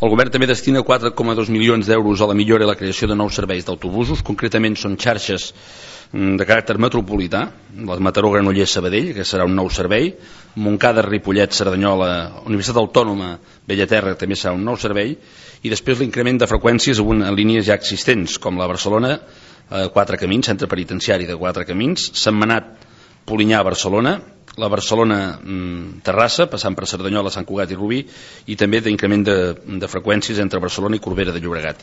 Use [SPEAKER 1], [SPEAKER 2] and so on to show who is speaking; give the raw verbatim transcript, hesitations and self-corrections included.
[SPEAKER 1] El govern també destina quatre coma dos milions d'euros a la millora i la creació de nous serveis d'autobusos. Concretament són xarxes de caràcter metropolità, les Mataró, Granollers, Sabadell, que serà un nou servei, Montcada, Ripollet, Cerdanyola, Universitat Autònoma, Bellaterra, també serà un nou servei, i després l'increment de freqüències en línies ja existents, com la Barcelona, eh, Quatre Camins, centre penitenciari de Quatre Camins, Sentmenat, Polinyà, Barcelona, la Barcelona-Terrassa, passant per Cerdanyola, Sant Cugat i Rubí, i també d'increment de, de freqüències entre Barcelona i Corbera de Llobregat.